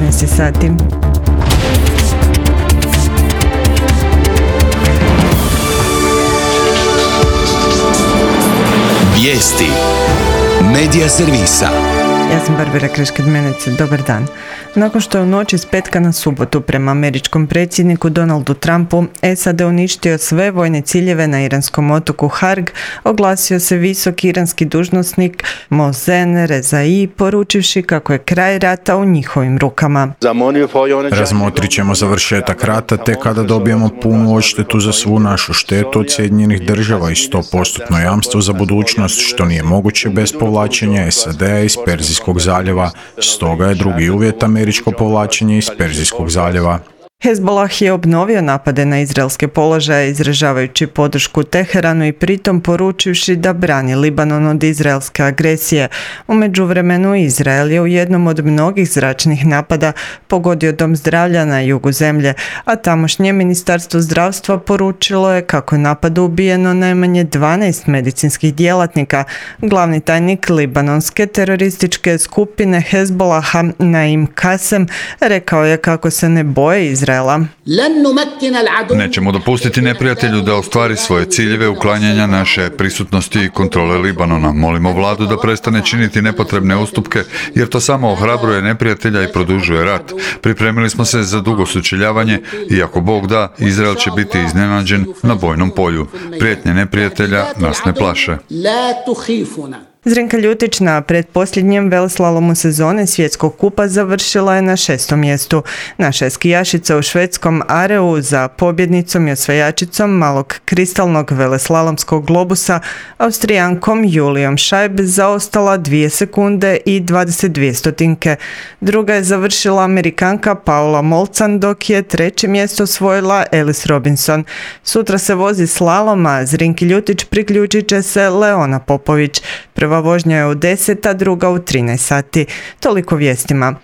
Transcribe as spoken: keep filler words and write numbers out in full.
devetnaest sati. Vijesti Medija servisa. Ja sam Barbara Kreškad-Menec, dobar dan. Nakon što je u noći s petka na subotu prema američkom predsjedniku Donaldu Trumpu S A D uništio sve vojne ciljeve na iranskom otoku Harg, oglasio se visoki iranski dužnosnik Mohsen Rezai, poručivši kako je kraj rata u njihovim rukama. Razmotrit ćemo završetak rata te kada dobijemo punu odštetu za svu našu štetu od Sjedinjenih država i sto posto jamstvo za budućnost, što nije moguće bez povlačenja S A D-a iz Perzijskog zaljeva. Stoga je drugi uvjet američko povlačenje iz Perzijskog zaljeva. Hezbollah je obnovio napade na izraelske položaje izražavajući podršku Teheranu i pritom poručivši da brani Libanon od izraelske agresije. U međuvremenu Izrael je u jednom od mnogih zračnih napada pogodio dom zdravlja na jugu zemlje, a tamošnje ministarstvo zdravstva poručilo je kako je napadu ubijeno najmanje dvanaest medicinskih djelatnika. Glavni tajnik libanonske terorističke skupine Hezbollaha Naim Kasem rekao je kako se ne boje Izraela. Nećemo dopustiti neprijatelju da ostvari svoje ciljeve uklanjanja naše prisutnosti i kontrole Libanona. Molimo vladu da prestane činiti nepotrebne ustupke, jer to samo ohrabruje neprijatelja i produžuje rat. Pripremili smo se za dugo sučeljavanje i ako Bog da, Izrael će biti iznenađen na bojnom polju. Prijetnje neprijatelja nas ne plaše. Zrinka Ljutić na pretposljednjem veleslalomu sezone svjetskog kupa završila je na šestom mjestu. Naša je skijašica u švedskom Areu za pobjednicom i osvajačicom malog kristalnog veleslalomskog globusa Austrijankom Julijom Šajb zaostala dvije sekunde i dvadeset dvije stotinke. Druga je završila Amerikanka Paula Molcan, dok je treće mjesto osvojila Ellis Robinson. Sutra se vozi slalom, a Zrinki Ljutić priključit će se Leona Popović. Prva vožnja je u deset, a druga u trinaest sati. Toliko vijestima.